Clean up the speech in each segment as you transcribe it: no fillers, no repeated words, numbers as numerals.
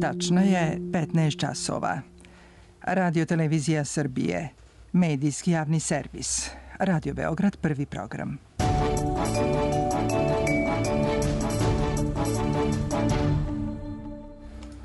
Tačno je 15 časova. Radio Televizija Srbije, medijski javni servis. Radio Beograd, prvi program.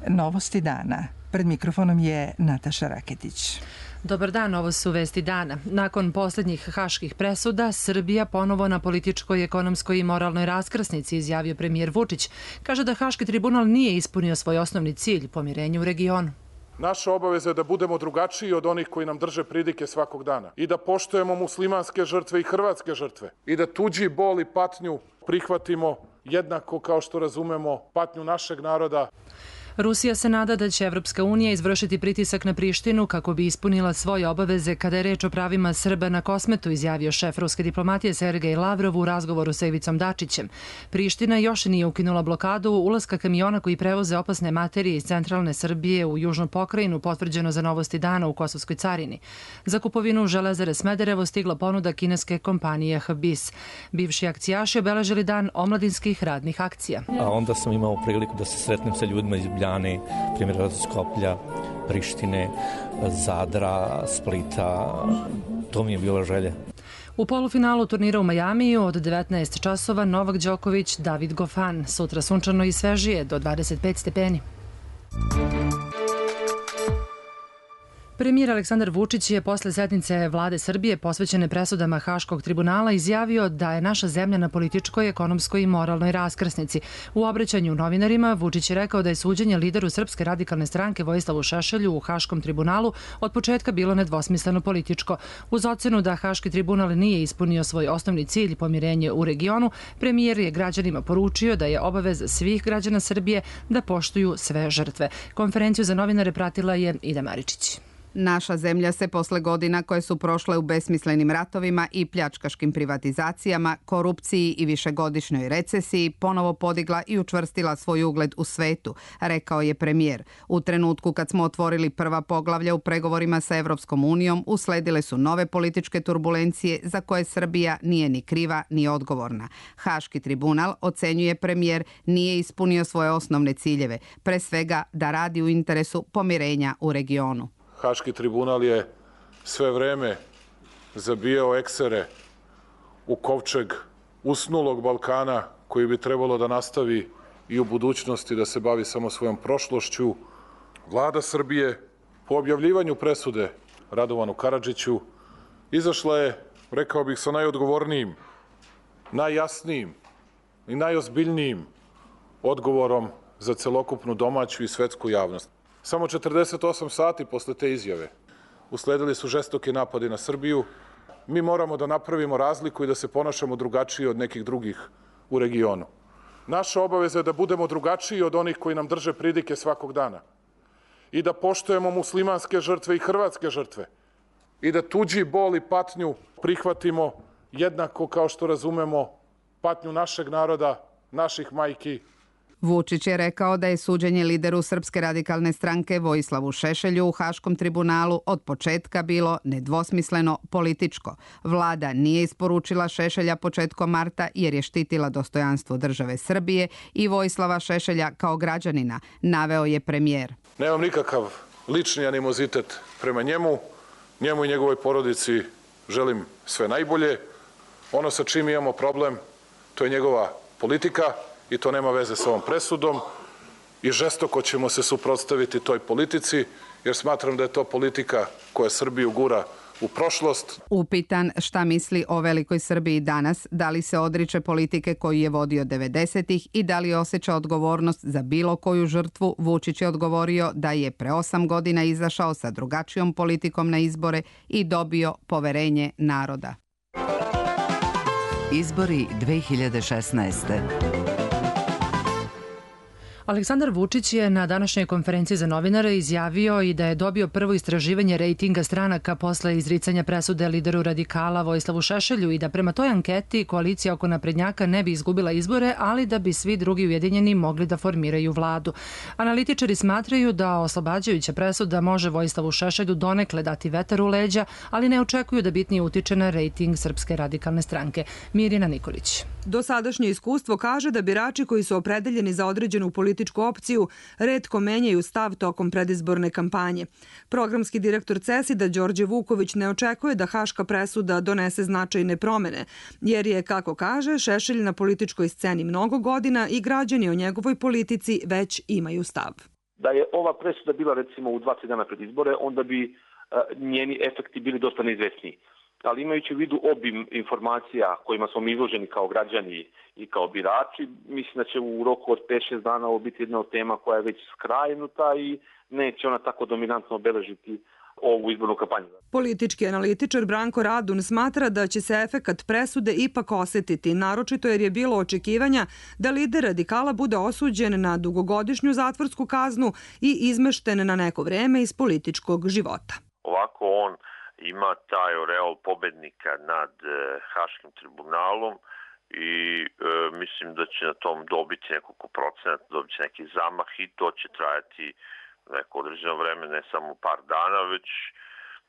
Novosti dana. Pred mikrofonom je Nataša Raketić. Dobar dan, ovo su vesti dana. Nakon posljednjih haških presuda, Srbija ponovo na političkoj, ekonomskoj i moralnoj raskrsnici, izjavio premijer Vučić. Kaže da Haški tribunal nije ispunio svoj osnovni cilj, pomirenje u regionu. Naša obaveza je da budemo drugačiji od onih koji nam drže pridike svakog dana i da poštujemo muslimanske žrtve i hrvatske žrtve i da tuđi bol i patnju prihvatimo jednako kao što razumemo patnju našeg naroda. Rusija se nada da će Evropska unija izvršiti pritisak na Prištinu kako bi ispunila svoje obaveze kada je reč o pravima Srba na Kosmetu, izjavio šef ruske diplomatije Sergej Lavrov u razgovoru sa Ivicom Dačićem. Priština još nije ukinula blokadu ulaska kamiona koji prevoze opasne materije iz centralne Srbije u južnu pokrajinu, potvrđeno za Novosti dana u Kosovskoj carini. Za kupovinu Železare Smederevo stigla ponuda kineske kompanije HBIS. Bivši akcijaši obeležili dan omladinskih radnih akcija. A onda sam imao priliku da se sretnem sa ljudima iz Ljubljane, primjer Skoplja, Prištine, Zadra, Splita. To mi je bila želja. U polufinalu turnira u Majamiju od 19 časova Novak Đoković, David Goffin. Sutra sunčano i svežije do 25 stepeni. Premijer Aleksandar Vučić je posle sednice vlade Srbije posvećene presudama Haškog tribunala izjavio da je naša zemlja na političkoj, ekonomskoj i moralnoj raskrsnici. U obraćanju novinarima Vučić je rekao da je suđenje lideru Srpske radikalne stranke Vojislavu Šešelju u Haškom tribunalu od početka bilo nedvosmisleno političko. Uz ocenu da Haški tribunal nije ispunio svoj osnovni cilj, pomirenje u regionu, premijer je građanima poručio da je obaveza svih građana Srbije da poštuju sve žrtve. Konferenciju za novinare pratila je Ida Maričić. Naša zemlja se posle godina koje su prošle u besmislenim ratovima i pljačkaškim privatizacijama, korupciji i višegodišnjoj recesiji ponovo podigla i učvrstila svoj ugled u svetu, rekao je premijer. U trenutku kad smo otvorili prva poglavlja u pregovorima sa Evropskom unijom, usledile su nove političke turbulencije za koje Srbija nije ni kriva ni odgovorna. Haški tribunal, ocenjuje premijer, nije ispunio svoje osnovne ciljeve, pre svega da radi u interesu pomirenja u regionu. Haški tribunal je sve vreme zabijao eksere u kovčeg usnulog Balkana koji bi trebalo da nastavi i u budućnosti da se bavi samo svojom prošlošću. Vlada Srbije po objavljivanju presude Radovanu Karadžiću izašla je, rekao bih, sa najodgovornijim, najjasnijim i najozbiljnijim odgovorom za celokupnu domaću i svetsku javnost. Samo 48 sati posle te izjave usledili su žestoki napadi na Srbiju. Mi moramo da napravimo razliku i da se ponašamo drugačije od nekih drugih u regionu. Naša obaveza je da budemo drugačiji od onih koji nam drže pridike svakog dana i da poštujemo muslimanske žrtve i hrvatske žrtve i da tuđi bol i patnju prihvatimo jednako kao što razumemo patnju našeg naroda, naših majki. Vučić je rekao da je suđenje lideru Srpske radikalne stranke Vojislavu Šešelju u Haškom tribunalu od početka bilo nedvosmisleno političko. Vlada nije isporučila Šešelja početkom marta jer je štitila dostojanstvo države Srbije i Vojislava Šešelja kao građanina, naveo je premijer. Nemam nikakav lični animozitet prema njemu i njegovoj porodici želim sve najbolje. Ono sa čim imamo problem, to je njegova politika, i to nema veze sa ovom presudom i žestoko ćemo se suprotstaviti toj politici jer smatram da je to politika koja Srbiju gura u prošlost. Upitan šta misli o velikoj Srbiji danas, da li se odriče politike koju je vodio 90-ih i da li osjeća odgovornost za bilo koju žrtvu, Vučić je odgovorio da je pre 8 godina izašao sa drugačijom politikom na izbore i dobio poverenje naroda. Izbori 2016. Aleksandar Vučić je na današnjoj konferenciji za novinare izjavio i da je dobio prvo istraživanje rejtinga stranaka posle izricanja presude lideru radikala Vojislavu Šešelju i da prema toj anketi koalicija oko naprednjaka ne bi izgubila izbore, ali da bi svi drugi ujedinjeni mogli da formiraju vladu. Analitičari smatraju da oslobađajuća presuda može Vojislavu Šešelju donekle dati vetar u leđa, ali ne očekuju da bitnije utiče na rejting Srpske radikalne stranke. Mirjana Nikolić. Dosadašnje iskustvo kaže da birači koji su opredeljeni za određenu politiku političku opciju retko menjaju stav tokom predizborne kampanje. Programski direktor CESID-a Đorđe Vuković ne očekuje da haška presuda donese značajne promene, jer je, kako kaže, Šešelj na političkoj sceni mnogo godina i građani o njegovoj politici već imaju stav. Da je ova presuda bila recimo u 2-3 dana pred izbore, onda bi njeni efekti bili dosta neizvesniji. Ali imajući u vidu obim informacija kojima smo izloženi kao građani i kao birači, mislim da će u roku od 5-6 dana ovo biti jedna od tema koja je već skrajnuta i neće ona tako dominantno obeležiti ovu izbornu kampanju. Politički analitičar Branko Radun smatra da će se efekat presude ipak osetiti, naročito jer je bilo očekivanja da lider radikala bude osuđen na dugogodišnju zatvorsku kaznu i izmešten na neko vreme iz političkog života. Ovako on ima taj oreol pobednika nad Haškim tribunalom i mislim da će na tom dobiti nekoliko procenata, dobiti neki zamah i to će trajati neko određeno vreme, ne samo par dana, već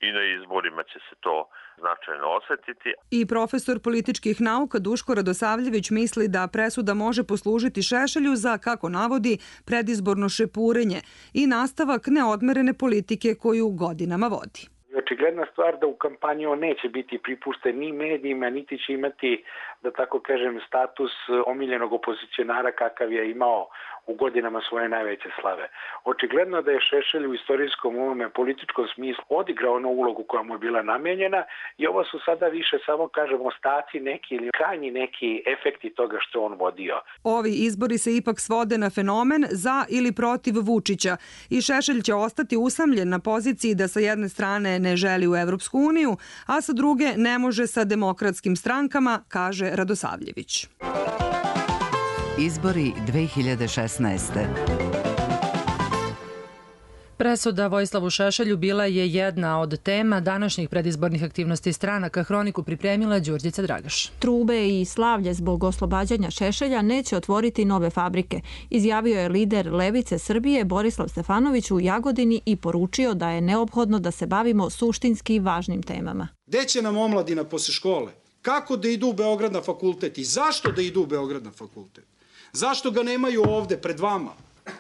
i na izborima će se to značajno osetiti. I profesor političkih nauka Duško Radosavljević misli da presuda može poslužiti Šešelju za, kako navodi, predizborno šepurenje i nastavak neodmerene politike koju godinama vodi. Očigledna stvar da u kampanji on neće biti pripušten ni medijima, niti će imati, da tako kažem, status omiljenog opozicionara kakav je imao u godinama svoje najveće slave. Očigledno da je Šešelj u istorijskom ovome političkom smislu odigrao onu ulogu koja mu je bila namenjena i ovo su sada više samo, kažemo, ostaci neki ili krajnji neki efekti toga što on vodio. Ovi izbori se ipak svode na fenomen za ili protiv Vučića i Šešelj će ostati usamljen na poziciji da sa jedne strane ne želi u Evropsku uniju, a sa druge ne može sa demokratskim strankama, kaže Radosavljević. Izbori 2016. Presuda Vojislavu Šešelju bila je jedna od tema današnjih predizbornih aktivnosti stranaka. Hroniku pripremila Đurđica Dragaš. Trube i slavlje zbog oslobađanja Šešelja neće otvoriti nove fabrike, izjavio je lider Levice Srbije Borislav Stefanović u Jagodini i poručio da je neophodno da se bavimo suštinski važnim temama. Gde će nam omladina posle škole? Kako da idu u Beograd na fakultet i zašto da idu u Beograd na fakultet? Zašto ga nemaju ovde pred vama?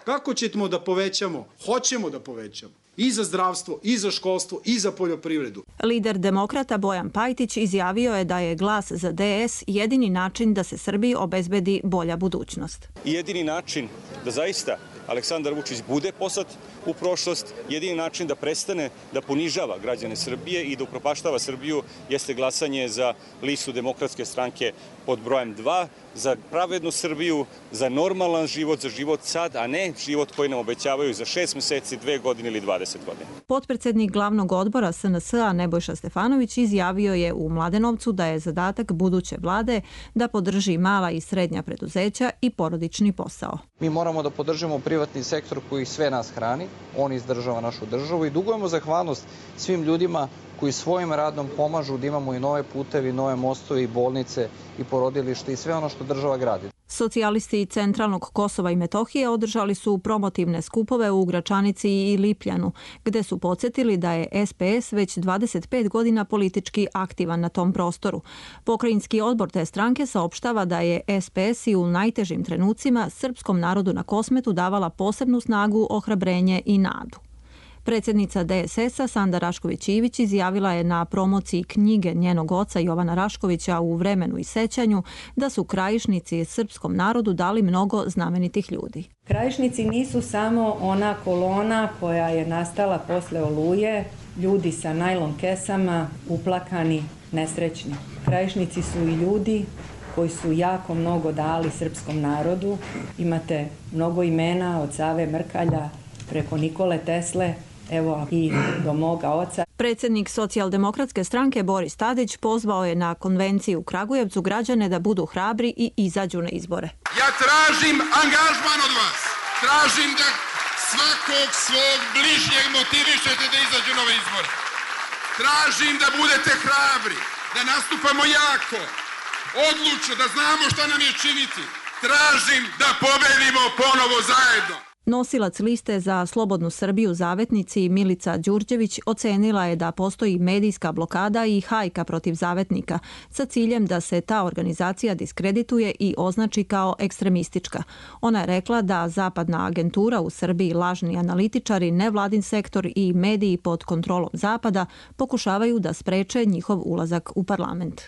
Kako ćemo da povećamo? Hoćemo da povećamo. I za zdravstvo, i za školstvo, i za poljoprivredu. Lider demokrata Bojan Pajtić izjavio je da je glas za DS jedini način da se Srbiji obezbedi bolja budućnost. Jedini način da zaista Aleksandar Vučić bude poslat u prošlost, jedini način da prestane da ponižava građane Srbije i da upropaštava Srbiju jeste glasanje za listu Demokratske stranke pod brojem 2, za pravednu Srbiju, za normalan život, za život sad, a ne život koji nam obećavaju za 6 meseci, 2 godine ili 20 godina. Potpredsednik glavnog odbora SNS-a Nebojša Stefanović izjavio je u Mladenovcu da je zadatak buduće vlade da podrži mala i srednja preduzeća i porodični posao. Mi moramo da podržimo privatni sektor koji sve nas hrani, on izdržava našu državu i dugujemo zahvalnost svim ljudima koji svojim radom pomažu da imamo i nove putevi, nove mostove i bolnice i porodilište i sve ono što država gradi. Socijalisti centralnog Kosova i Metohije održali su promotivne skupove u Gračanici i Lipljanu, gde su podsjetili da je SPS već 25 godina politički aktivan na tom prostoru. Pokrajinski odbor te stranke saopštava da je SPS i u najtežim trenucima srpskom narodu na Kosmetu davala posebnu snagu, ohrabrenje i nadu. Predsjednica DSS-a Sanda Rašković-Ivić izjavila je na promociji knjige njenog oca Jovana Raškovića U vremenu i sećanju da su Krajišnici srpskom narodu dali mnogo znamenitih ljudi. Krajišnici nisu samo ona kolona koja je nastala posle Oluje, ljudi sa najlon kesama, uplakani, nesrećni. Krajišnici su i ljudi koji su jako mnogo dali srpskom narodu. Imate mnogo imena od Save Mrkalja preko Nikole Tesle, evo i do moga oca. Predsjednik Socijaldemokratske stranke Boris Tadić pozvao je na konvenciji u Kragujevcu građane da budu hrabri i izađu na izbore. Ja tražim angažman od vas. Tražim da svakog svog bližnjeg motivišete da izađu na ove izbore. Tražim da budete hrabri, da nastupamo jako, odlučno, da znamo šta nam je činiti. Tražim da pobedimo ponovo zajedno. Nosilac liste za Slobodnu Srbiju Zavetnici Milica Đurđević ocenila je da postoji medijska blokada i hajka protiv Zavetnika sa ciljem da se ta organizacija diskredituje i označi kao ekstremistička. Ona je rekla da zapadna agentura u Srbiji, lažni analitičari, nevladin sektor i mediji pod kontrolom Zapada pokušavaju da spreče njihov ulazak u parlament.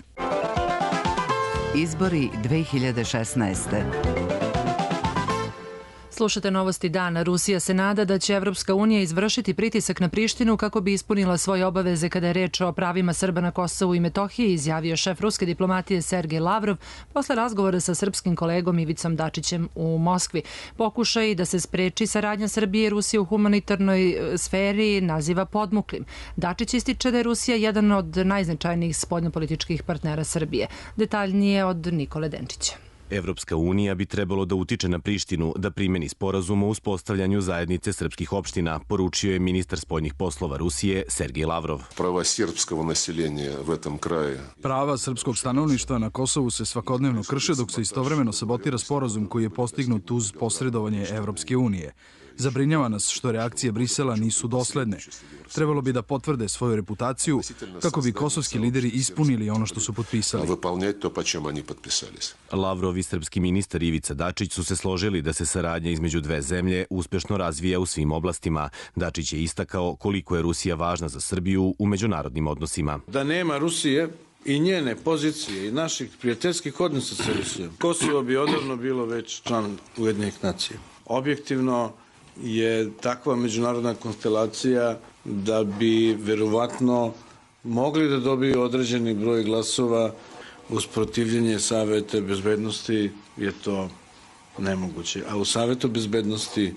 Izbori 2016. Slušate novosti dana. Rusija se nada da će Evropska unija izvršiti pritisak na Prištinu kako bi ispunila svoje obaveze kada je reč o pravima Srba na Kosovu i Metohiji, izjavio šef ruske diplomatije Sergej Lavrov posle razgovora sa srpskim kolegom Ivicom Dačićem u Moskvi. Pokušaj da se spreči saradnja Srbije i Rusije u humanitarnoj sferi naziva podmuklim. Dačić ističe da je Rusija jedan od najznačajnijih spoljnopolitičkih partnera Srbije. Detaljnije od Nikole Denčića. Evropska unija bi trebalo da utiče na Prištinu da primeni sporazum o uspostavljanju zajednice srpskih opština, poručio je ministar spoljnih poslova Rusije Sergej Lavrov. Prava srpskog stanovništva na Kosovu se svakodnevno krše dok se istovremeno sabotira sporazum koji je postignut uz posredovanje Evropske unije. Zabrinjava nas što reakcije Brisela nisu dosledne. Trebalo bi da potvrde svoju reputaciju kako bi kosovski lideri ispunili ono što su potpisali. Lavrov i srpski ministar Ivica Dačić su se složili da se saradnja između dve zemlje uspešno razvija u svim oblastima. Dačić je istakao koliko je Rusija važna za Srbiju u međunarodnim odnosima. Da nema Rusije i njene pozicije i naših prijateljskih odnosa sa Rusijom, Kosovo bi odavno bilo već član Ujedinjenih nacija. Objektivno je takva međunarodna konstelacija da bi verovatno mogli da dobiju određeni broj glasova. Uz protivljenje Saveta bezbednosti je to nemoguće. A u Savetu bezbednosti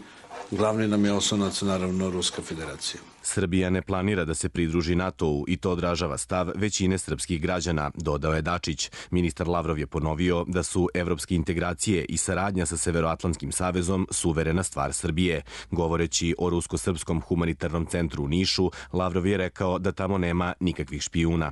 glavni nam je oslonac naravno Ruska federacija. Srbija ne planira da se pridruži NATO-u i to odražava stav većine srpskih građana, dodao je Dačić. Ministar Lavrov je ponovio da su evropske integracije i saradnja sa Severoatlantskim savezom suverena stvar Srbije. Govoreći o Rusko-srpskom humanitarnom centru u Nišu, Lavrov je rekao da tamo nema nikakvih špijuna.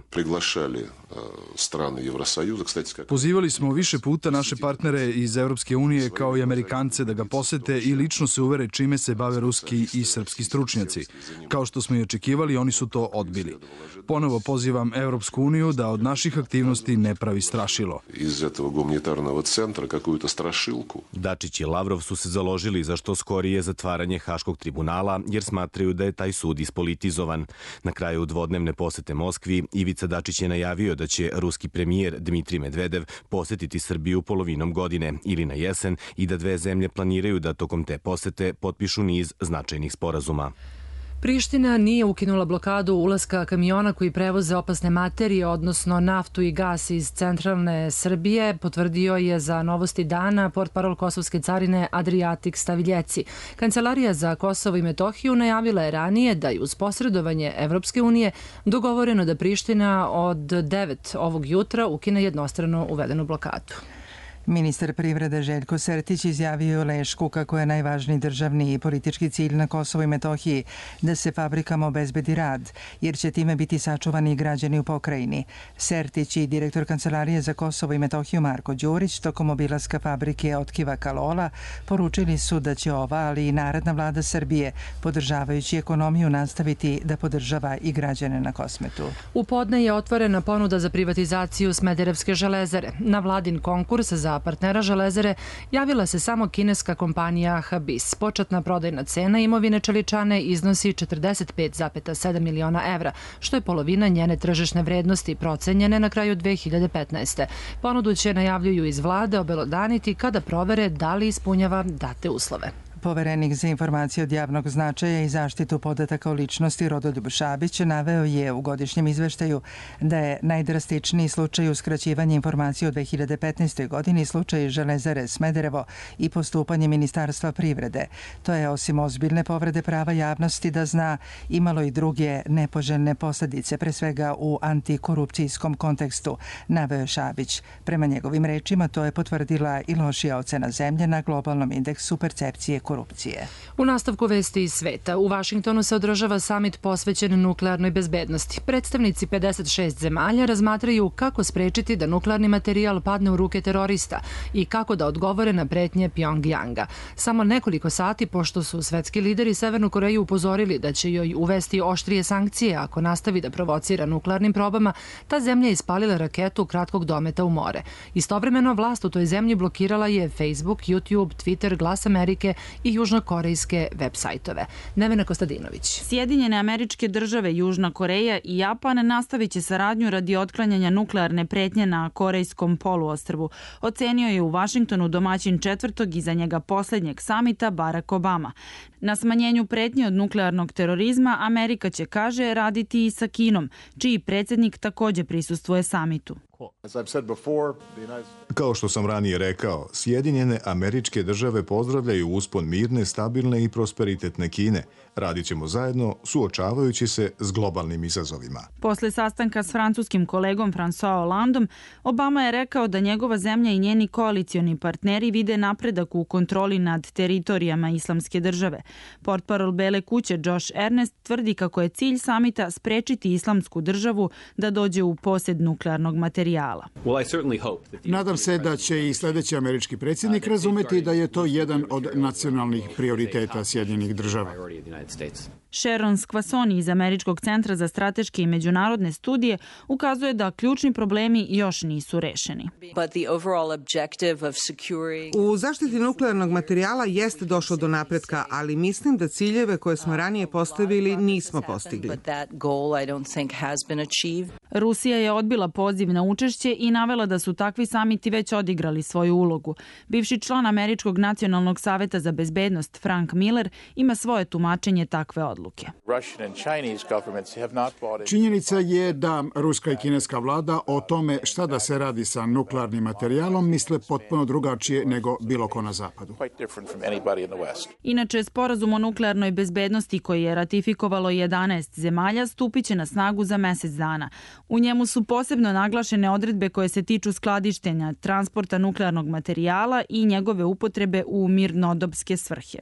Pozivali smo više puta naše partnere iz Evropske unije kao i Amerikance da ga posete i lično se uvere čime se bave ruski i srpski stručnjaci. Kao što smo i očekivali, oni su to odbili. Ponovo pozivam Evropsku uniju da od naših aktivnosti ne pravi strašilo. Iz этого гуманитарного центра какую-то страшилку. Dačić i Lavrov su se založili za što skorije zatvaranje Haškog tribunala, jer smatraju da je taj sud ispolitizovan. Na kraju dvodnevne posete Moskvi, Ivica Dačić je najavio da će ruski premijer Dmitrij Medvedev posetiti Srbiju polovinom godine ili na jesen i da dve zemlje planiraju da tokom te posete potpišu niz značajnih sporazuma. Priština nije ukinula blokadu ulaska kamiona koji prevoze opasne materije, odnosno naftu i gas iz centralne Srbije, potvrdio je za Novosti dana portparol Kosovske carine Adriatik Staviljeci. Kancelarija za Kosovo i Metohiju najavila je ranije da je uz posredovanje Evropske unije dogovoreno da Priština od 9 ovog jutra ukine jednostrano uvedenu blokadu. Ministar privrede Željko Sertić izjavio u Lešku kako je najvažniji državni i politički cilj na Kosovu i Metohiji da se fabrikama obezbedi rad, jer će time biti sačuvani i građani u pokrajini. Sertić i direktor Kancelarije za Kosovo i Metohiju Marko Đurić tokom obilaska fabrike Otkiva Kalola poručili su da će ova, ali i naredna vlada Srbije, podržavajući ekonomiju, nastaviti da podržava i građane na Kosmetu. U podne je otvorena ponuda za privatizaciju Smederevske železare. Na vladin konkurs za partnera železare javila se samo kineska kompanija Habis. Početna prodajna cena imovine Čeličane iznosi 45,7 miliona evra, što je polovina njene tržišne vrednosti procenjene na kraju 2015. Ponudu će, najavljuju iz vlade, obelodaniti kada provere da li ispunjava date uslove. Poverenik za informacije od javnog značaja i zaštitu podataka o ličnosti Rodoljub Šabić naveo je u godišnjem izveštaju da je najdrastičniji slučaj uskraćivanja informacija u 2015. godini slučaj Železare Smederevo i postupanje Ministarstva privrede. To je, osim ozbiljne povrede prava javnosti da zna, imalo i druge nepoželjne posljedice, pre svega u antikorupcijskom kontekstu, naveo Šabić. Prema njegovim rečima, to je potvrdila i lošija ocena zemlje na globalnom indeksu percepcije korupcije. korupcije. U nastavku vesti iz sveta, u Vašingtonu se održava samit posvećen nuklearnoj bezbednosti. Predstavnici 56 zemalja razmatraju kako sprečiti da nuklearni materijal padne u ruke terorista i kako da odgovore na pretnje Pjongjanga. Samo nekoliko sati pošto su svetski lideri Severnu Koreju upozorili da će joj uvesti oštrije sankcije ako nastavi da provocira nuklearnim probama, ta zemlja je ispalila raketu kratkog dometa u more. Istovremeno, vlast u toj zemlji blokirala je Facebook, YouTube, Twitter, Glas Amerike i južnokorejske web-sajtove. Nevena Kostadinović. Sjedinjene Američke Države, Južna Koreja i Japan nastavit će saradnju radi otklanjanja nuklearne pretnje na Korejskom poluostrvu. Ocenio je u Vašingtonu domaćin četvrtog iza njega poslednjeg samita Barack Obama. Na smanjenju pretnje od nuklearnog terorizma Amerika će, kaže, raditi i sa Kinom, čiji predsjednik takođe prisustvuje samitu. Kao što sam ranije rekao, Sjedinjene Američke Države pozdravljaju uspon mirne, stabilne i prosperitetne Kine. Radit ćemo zajedno, suočavajući se s globalnim izazovima. Posle sastanka s francuskim kolegom François Hollandom, Obama je rekao da njegova zemlja i njeni koalicioni partneri vide napredak u kontroli nad teritorijama Islamske države. Portparol Bele kuće Josh Earnest tvrdi kako je cilj samita sprečiti Islamsku državu da dođe u posjed nuklearnog materijala. Nadam se da će i sljedeći američki predsjednik razumeti da je to jedan od nacionalnih prioriteta Sjedinjenih država. Sharon Squassoni iz Američkog centra za strateške i međunarodne studije ukazuje da ključni problemi još nisu rešeni. U zaštiti nuklearnog materijala jeste došlo do napretka, ali mislim da ciljeve koje smo ranije postavili nismo postigli. Rusija je odbila poziv na učešće i navela da su takvi samiti već odigrali svoju ulogu. Bivši član Američkog nacionalnog saveta za bezbednost Frank Miller ima svoje tumačenje takve odluke. Činjenica je da ruska i kineska vlada o tome šta da se radi sa nuklearnim materijalom misle potpuno drugačije nego bilo ko na zapadu. Inače, sporazum o nuklearnoj bezbednosti koji je ratifikovalo 11 zemalja stupiće na snagu za mesec dana. U njemu su posebno naglašene odredbe koje se tiču skladištenja, transporta nuklearnog materijala i njegove upotrebe u mirnodopske svrhe.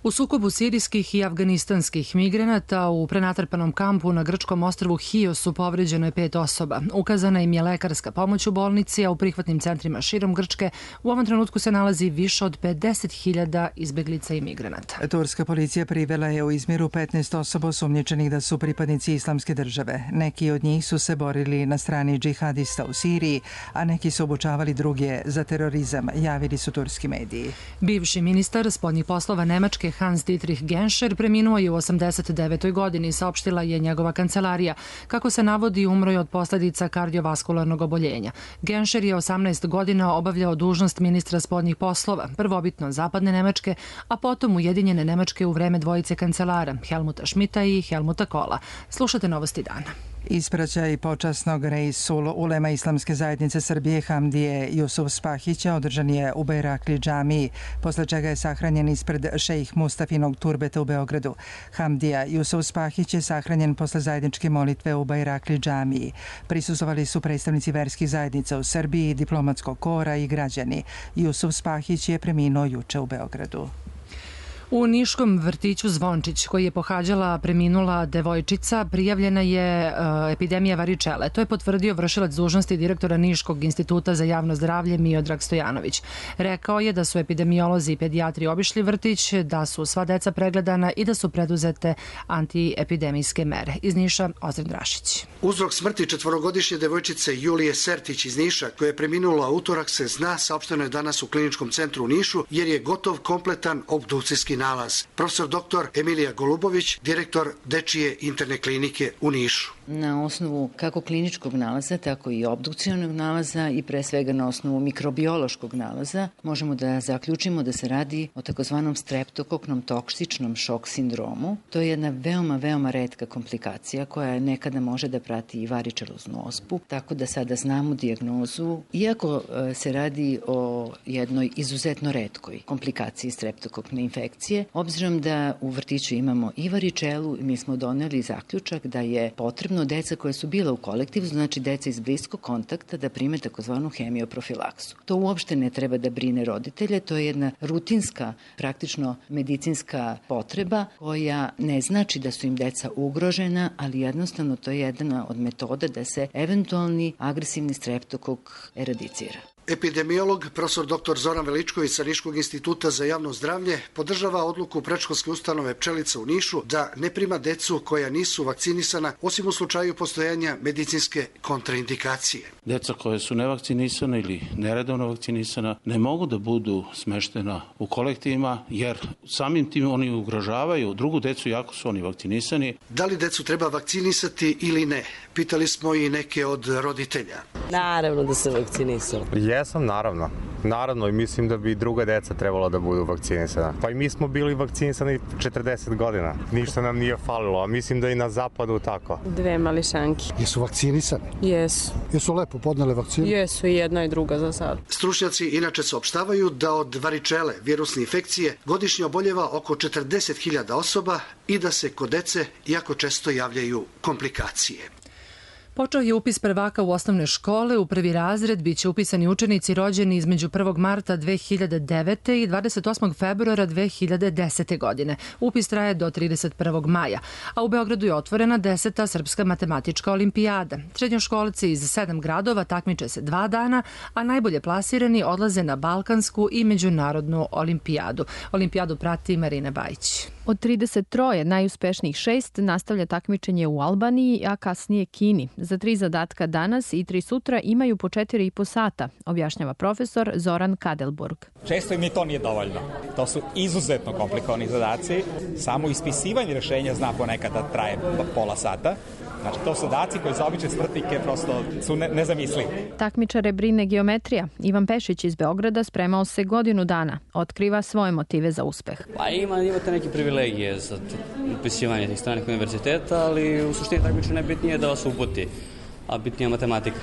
U sukobu sirijskih i afganistanskih migranata u prenatrpanom kampu na grčkom ostrvu Hios povređeno je 5 osoba. Ukazana im je lekarska pomoć u bolnici, a u prihvatnim centrima širom Grčke u ovom trenutku se nalazi više od 50.000 izbeglica i migranata. Turska policija privela je u Izmiru 15 osoba osumnjičenih da su pripadnici Islamske države. Neki od njih su se borili na strani džihadista u Siriji, a neki su obučavali druge za terorizam, javili su turski mediji. Bivši ministar spoljnih poslova Nemačke Hans-Dietrich Genscher preminuo je u 89. godini, saopštila je njegova kancelarija. Kako se navodi, umro je od posljedica kardiovaskularnog oboljenja. Genscher je 18 godina obavljao dužnost ministra spoljnih poslova, prvobitno Zapadne Nemačke, a potom Ujedinjene Nemačke u vreme dvojice kancelara, Helmuta Schmidta i Helmuta Kohla. Slušate Novosti dana. Ispraćaj počasnog Reisul Ulema Islamske zajednice Srbije Hamdije Jusuf Spahića održan je u Bajrakli džamiji, posle čega je sahranjen ispred šejh Mustafinog turbeta u Beogradu. Hamdija Jusuf Spahić je sahranjen posle zajedničke molitve u Bajrakli džamiji. Prisustvovali su predstavnici verskih zajednica u Srbiji, diplomatskog kora i građani. Jusuf Spahić je preminuo juče u Beogradu. U niškom vrtiću Zvončić, koji je pohađala preminula devojčica, prijavljena je epidemija varičele. To je potvrdio vršilac dužnosti direktora Niškog instituta za javno zdravlje Miodrag Stojanović. Rekao je da su epidemiolozi i pedijatri obišli vrtić, da su sva deca pregledana i da su preduzete antiepidemijske mere. Iz Niša, Ozren Drašić. Uzrok smrti 4-godišnje devojčice Julije Sertić iz Niša, koja je preminula utorak, se zna, saopšteno je danas u Kliničkom centru u Nišu, jer je gotov kompletan obdukcijski nalaz. Profesor dr. Emilija Golubović, direktor Dečije interne klinike u Nišu. Na osnovu kako kliničkog nalaza, tako i obdukcionog nalaza i pre svega na osnovu mikrobiološkog nalaza možemo da zaključimo da se radi o takozvanom streptokoknom toksičnom šok sindromu. To je jedna veoma retka komplikacija koja nekada može da prati i varičeloznu ospu, tako da sada znamo dijagnozu. Iako se radi o jednoj izuzetno retkoj komplikaciji streptokokne infekcije, obzirom da u vrtiću imamo i varičelu, mi smo doneli zaključak da je potrebno neophodno deca koja su bila u kolektivu, znači deca iz bliskog kontakta, da prime takozvanu hemioprofilaksu. To uopšte ne treba da brine roditelje, to je jedna rutinska, praktično medicinska potreba koja ne znači da su im deca ugrožena, ali jednostavno to je jedna od metoda da se eventualni agresivni streptokok eradicira. Epidemiolog, profesor dr. Zoran Veličković sa Niškog instituta za javno zdravlje podržava odluku predškolske ustanove Pčelica u Nišu da ne prima decu koja nisu vakcinisana, osim u slučaju postojanja medicinske kontraindikacije. Deca koje su nevakcinisana ili neredovno vakcinisana ne mogu da budu smeštena u kolektivima, jer samim tim oni ugrožavaju drugu decu jako su oni vakcinisani. Da li decu treba vakcinisati ili ne? Pitali smo i neke od roditelja. Naravno da se vakcinisao. Jesam, naravno. Naravno, i mislim da bi druga deca trebala da budu vakcinisana. Pa i mi smo bili vakcinisani 40 godina. Ništa nam nije falilo, a mislim da i na zapadu tako. 2 mališanki. Jesu vakcinisani? Jesu. Jesu lepo podnele vakcinu? Jesu, i jedna i druga za sad. Stručnjaci inače saopštavaju da od varičele, virusne infekcije, godišnje oboljeva oko 40.000 osoba i da se kod dece jako često javljaju komplikacije. Počeo je upis prvaka u osnovne škole. U prvi razred biće upisani učenici rođeni između 1. marta 2009. i 28. februara 2010. godine. Upis traje do 31. maja, a u Beogradu je otvorena 10. Srpska matematička olimpijada. Srednjoškolci iz 7 gradova takmiče se 2 dana, a najbolje plasirani odlaze na Balkansku i međunarodnu olimpijadu. Olimpijadu prati Marina Bajić. Od 33 najuspešnijih 6 nastavlja takmičenje u Albaniji, a kasnije Kini. Za 3 zadatka danas i 3 sutra imaju po 4,5 sata, objašnjava profesor Zoran Kadelburg. Često im ni to nije dovoljno. To su izuzetno komplikovani zadaci. Samo ispisivanje rešenja zna ponekad da traje pola sata. Znači, to su zadaci koji za obične smrtnike prosto su nezamislivi. Takmičare brine geometrija. Ivan Pešić iz Beograda spremao se godinu dana. Otkriva svoje motive za uspeh. Pa imate neke privilegije za upisivanje tih stranih univerziteta, ali u suštini takmičenje najbitnije je da vas uputi, a bitnija matematika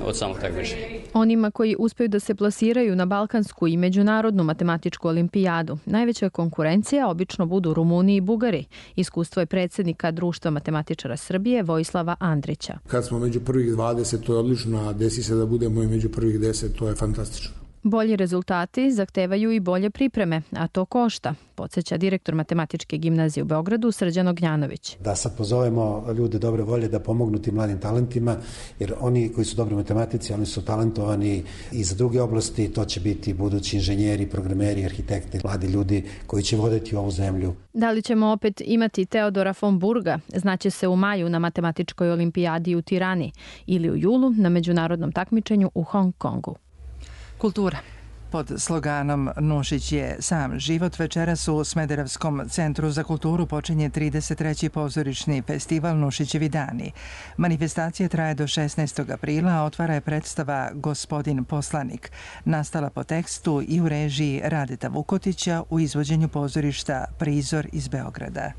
od samog takmičenja. Onima koji uspeju da se plasiraju na Balkansku i međunarodnu matematičku olimpijadu, najveća konkurencija obično budu Rumuni i Bugari. Iskustvo je predsjednika Društva matematičara Srbije Vojislava Andrića. Kad smo među prvih 20, to je odlično, a desi se da budemo i među prvih 10, to je fantastično. Bolji rezultati zahtevaju i bolje pripreme, a to košta, podsjeća direktor Matematičke gimnazije u Beogradu Srđan Ognjanović. Da sad pozovemo ljude dobre volje da pomognu tim mladim talentima, jer oni koji su dobri matematici, oni su talentovani i za druge oblasti, to će biti budući inženjeri, programeri, arhitekti, mladi ljudi koji će voditi ovu zemlju. Da li ćemo opet imati Teodora von Burga, znaće se u maju na matematičkoj olimpijadi u Tirani ili u julu na međunarodnom takmičenju u Hong Kongu. Kultura. Pod sloganom Nušić je sam život večeras u Smederevskom centru za kulturu počinje 33. pozorišni festival Nušićevi dani. Manifestacija traje do 16. aprila, a otvara je predstava Gospodin poslanik, nastala po tekstu i u režiji Radeta Vukotića u izvođenju pozorišta Prizor iz Beograda.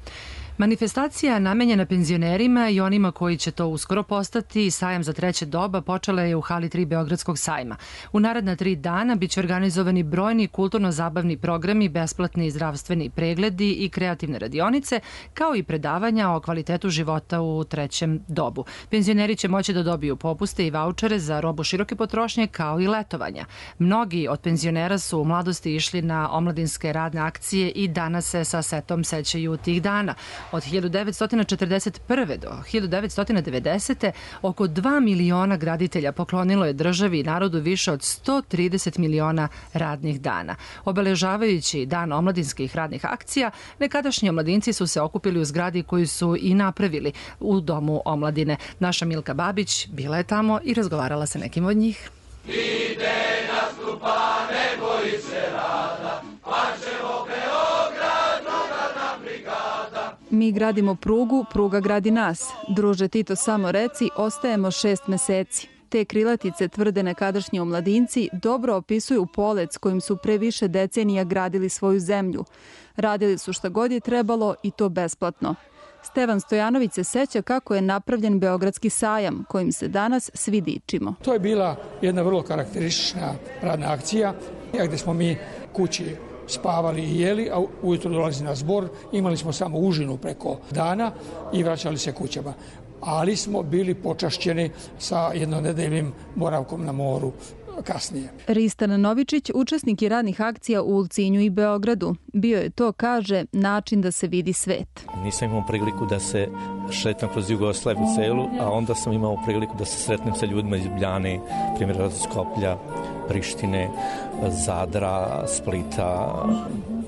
Manifestacija namenjena penzionerima i onima koji će to uskoro postati, sajam za treće doba, počela je u hali 3 Beogradskog sajma. U naredna 3 dana biće organizovani brojni kulturno-zabavni programi, besplatni zdravstveni pregledi i kreativne radionice, kao i predavanja o kvalitetu života u trećem dobu. Penzioneri će moći da dobiju popuste i vaučere za robu široke potrošnje, kao i letovanja. Mnogi od penzionera su u mladosti išli na omladinske radne akcije i danas se sa setom sećaju tih dana. Od 1941. do 1990. oko 2 miliona graditelja poklonilo je državi i narodu više od 130 miliona radnih dana. Obeležavajući dan omladinskih radnih akcija, nekadašnji omladinci su se okupili u zgradi koju su i napravili u Domu omladine. Naša Milka Babić bila je tamo i razgovarala sa nekim od njih. Ide nastupa, ne boji se rada, pa ćemo Beograd, drugarna brigada. Mi gradimo prugu, pruga gradi nas. Druže Tito, samo reci, ostajemo 6 meseci. Te krilatice, tvrde nekadašnji omladinci, dobro opisuju polec kojim su pre više decenija gradili svoju zemlju. Radili su šta god je trebalo i to besplatno. Stevan Stojanović se seća kako je napravljen Beogradski sajam, kojim se danas svi dičimo. To je bila jedna vrlo karakteristična radna akcija, gdje smo mi kući spavali i jeli, a ujutro dolazi na zbor, imali smo samo užinu preko dana i vraćali se kućama. ali smo bili počašćeni sa jednonedeljnim boravkom na moru kasnije. Ristan Novičić, učesnik je radnih akcija u Ulcinju i Beogradu. Bio je to, kaže, način da se vidi svet. Nisam imao priliku da se šetam kroz Jugoslaviju celu, a onda sam imao priliku da se sretnem sa ljudima iz Ljubljane, primjer od Skoplja, Prištine, Zadra, Splita.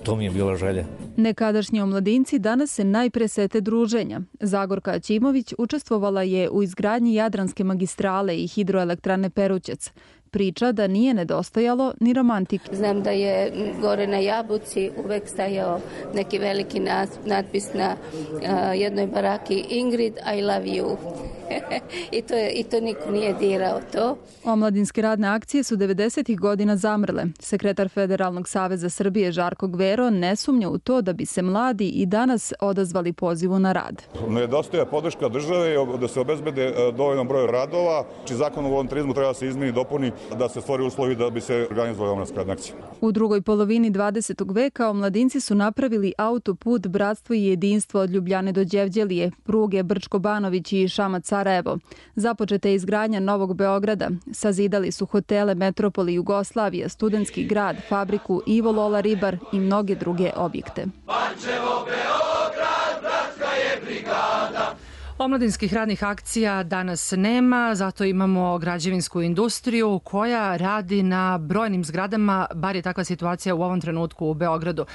To mi je bila želja. Nekadašnji omladinci danas se najpre sete druženja. Zagorka Aćimović učestvovala je u izgradnji Jadranske magistrale i hidroelektrane Perućac. Priča da nije nedostajalo ni romantike. Znam da je gore na Jabuci uvek stajao neki veliki natpis na jednoj baraki Ingrid, I love you. I to niko nije dirao to. Omladinske radne akcije su 90. godina zamrle. Sekretar Federalnog saveza Srbije Žarko Gvero ne sumnja u to da bi se mladi i danas odazvali pozivu na rad. Nedostaje podrška države da se obezbede dovoljan broj radova, či zakon o volontarizmu treba da se izmeni i dopuni da se stvori uslovi da bi se organizovali omladinske radne akcije. U drugoj polovini 20. veka omladinci su napravili autoput Bratstvo i jedinstvo od Ljubljane do Đevđelije, pruge Brčko-Banović i Šamac-Sarajevo. Započeta je izgradnja Novog Beograda. Sazidali su hotele Metropoli Jugoslavija, Studentski grad, fabriku Ivo Lola Ribar i mnoge druge objekte. Pančevo, Beograd, bratska je brigada. Omladinskih radnih akcija danas nema, zato imamo građevinsku industriju koja radi na brojnim zgradama, bar je takva situacija u ovom trenutku u Beogradu.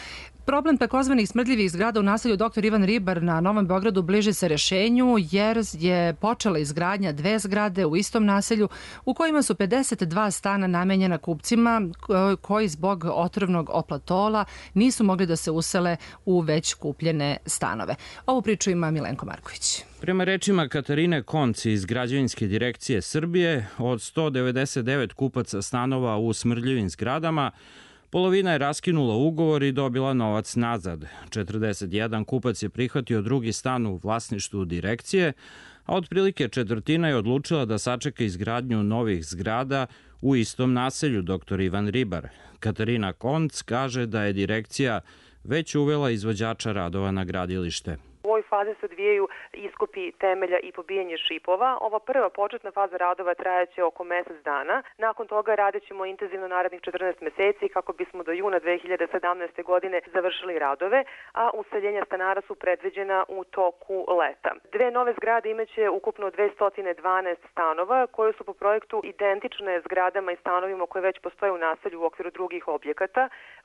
Problem takozvanih smrdljivih zgrada u naselju Dr. Ivan Ribar na Novom Beogradu bliži se rešenju jer je počela izgradnja 2 zgrade u istom naselju u kojima su 52 stana namenjena kupcima koji zbog otrovnog oplatola nisu mogli da se usele u već kupljene stanove. Ovu priču ima Milenko Marković. Prema rečima Katarine Konci iz Građevinske direkcije Srbije, od 199 kupaca stanova u smrdljivim zgradama, polovina je raskinula ugovor i dobila novac nazad. 41 kupac je prihvatio drugi stan u vlasništvu direkcije, a otprilike četvrtina je odlučila da sačeka izgradnju novih zgrada u istom naselju Dr. Ivan Ribar. Katarina Konc kaže da je direkcija već uvela izvođača radova na gradilište. U ovoj fazi se odvijaju iskopi temelja i pobijanje šipova. Ova prva početna faza radova trajaće oko mesec dana. Nakon toga radit ćemo intenzivno narednih 14 meseci kako bismo do juna 2017. godine završili radove, a useljenja stanara su predviđena u toku leta. 2 nove zgrade imaće ukupno 212 stanova koje su po projektu identične zgradama i stanovima koje već postoje u naselju u okviru drugih objekata.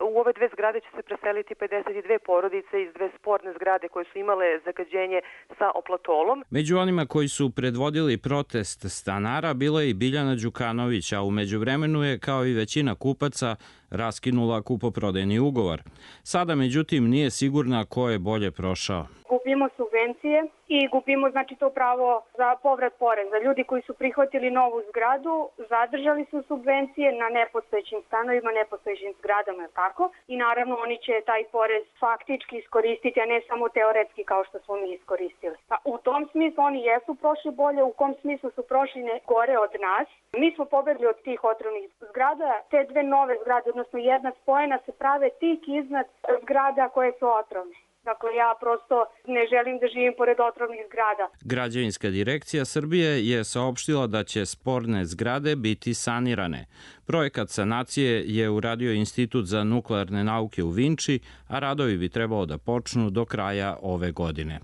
U ove 2 zgrade će se preseliti 52 porodice iz 2 sporne zgrade koje su imale zagađenje sa oplatolom. Među onima koji su predvodili protest stanara bila je i Biljana Đukanović, a u međuvremenu je, kao i većina kupaca, raskinula kupoprodajni ugovor. Sada, međutim, nije sigurna ko je bolje prošao. Gubimo subvencije i gubimo to pravo za povrat poreza. Ljudi koji su prihvatili novu zgradu zadržali su subvencije na nepostojećim stanovima, nepostojećim zgradama, tako? I naravno oni će taj porez faktički iskoristiti, a ne samo teoretski kao što smo mi iskoristili. Pa u tom smislu oni jesu prošli bolje, u kom smislu su prošli gore od nas. Mi smo pobegli od tih otrovnih zgrada, te 2 nove zgrade, odnosno jedna spojena, se prave tik iznad zgrada koje su otrovne. Dakle, ja prosto ne želim da živim pored otrovnih zgrada. Građevinska direkcija Srbije je saopštila da će sporne zgrade biti sanirane. Projekat sanacije je uradio Institut za nuklearne nauke u Vinči, a radovi bi trebalo da počnu do kraja ove godine.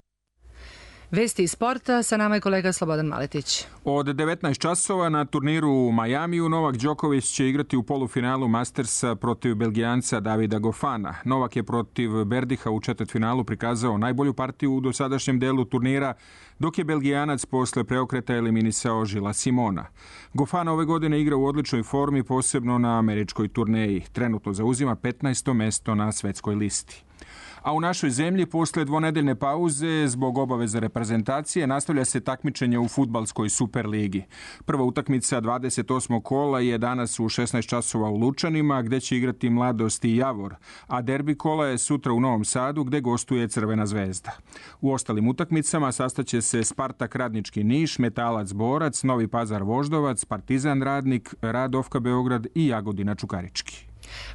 Vesti iz sporta, sa nama je kolega Slobodan Maletić. Od 19 časova na turniru u Majamiju Novak Đoković će igrati u polufinalu Mastersa protiv Belgijanca Davida Goffana. Novak je protiv Berdiha u četvrtfinalu prikazao najbolju partiju u dosadašnjem delu turnira, dok je Belgijanac posle preokreta eliminisao Žila Simona. Goffin ove godine igra u odličnoj formi, posebno na američkoj turneji. Trenutno zauzima 15. mesto na svetskoj listi. A u našoj zemlji, posle dvonedeljne pauze, zbog obaveza reprezentacije, nastavlja se takmičenje u fudbalskoj Superligi. Prva utakmica 28. kola je danas u 16 časova u Lučanima, gde će igrati Mladost i Javor, a derbi kola je sutra u Novom Sadu, gde gostuje Crvena zvezda. U ostalim utakmicama sastaće se Spartak Radnički Niš, Metalac Borac, Novi Pazar Voždovac, Partizan Radnik, Radovka Beograd i Jagodina Čukarički.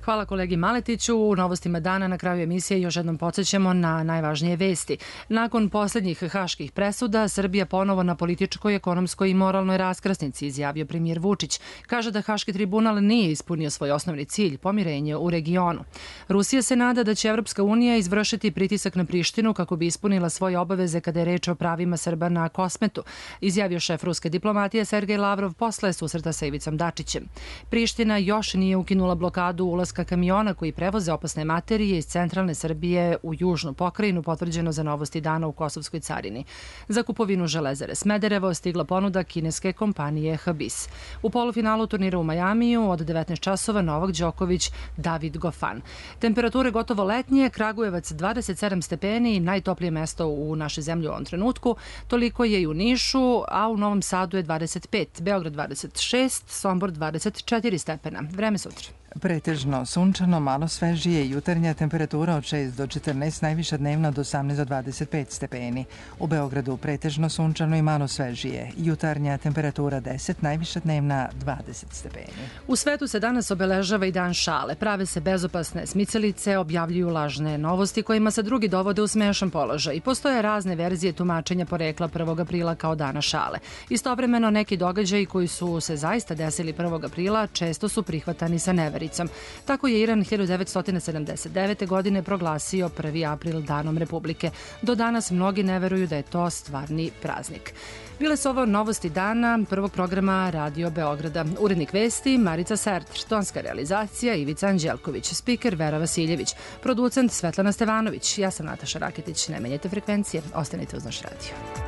Hvala kolegi Maletiću. U novostima dana na kraju emisije još jednom podsjećamo na najvažnije vesti. Nakon posljednjih haških presuda, Srbija ponovo na političkoj, ekonomskoj i moralnoj raskrsnici, izjavio premijer Vučić. Kaže da Haški tribunal nije ispunio svoj osnovni cilj, pomirenje u regionu. Rusija se nada da će Evropska unija izvršiti pritisak na Prištinu kako bi ispunila svoje obaveze kada je reč o pravima Srba na Kosmetu, izjavio šef ruske diplomatije Sergej Lavrov posle susreta sa Ivicom Dačićem. Priština još nije ukinula blokadu ulaska kamiona koji prevoze opasne materije iz centralne Srbije u južnu pokrajinu, potvrđeno za Novosti dana u Kosovskoj carini. Za kupovinu Železare Smederevo stigla ponuda kineske kompanije Habis. U polufinalu turnira u Majamiju od 19 časova Novak Đoković, David Gofan. Temperature gotovo letnje, Kragujevac 27 stepeni, najtoplije mesto u našoj zemlji u ovom trenutku. Toliko je i u Nišu, a u Novom Sadu je 25, Beograd 26, Sombor 24 stepena. Vreme sutra. Pretežno sunčano, malo svežije, jutarnja temperatura od 6 do 14, najviša dnevna od 18 do 25 stepeni. U Beogradu pretežno sunčano i malo svežije, jutarnja temperatura 10, najviša dnevna 20 stepeni. U svetu se danas obeležava i dan šale. Prave se bezopasne smicalice, objavljuju lažne novosti kojima se drugi dovode u smešan položaj i postoje razne verzije tumačenja porekla 1. aprila kao dana šale. Istovremeno neki događaji koji su se zaista desili 1. aprila često su prihvatani sa nevericom. Tako je Iran 1979. godine proglasio 1. april danom Republike. Do danas mnogi ne veruju da je to stvarni praznik. Bile su ovo novosti dana prvog programa Radio Beograda. Urednik vesti Marica Serter, tonska realizacija Ivica Anđelković, spiker Vera Vasiljević, producent Svetlana Stevanović. Ja sam Nataša Raketić. Ne menjajte frekvencije, ostanite uz naš radio.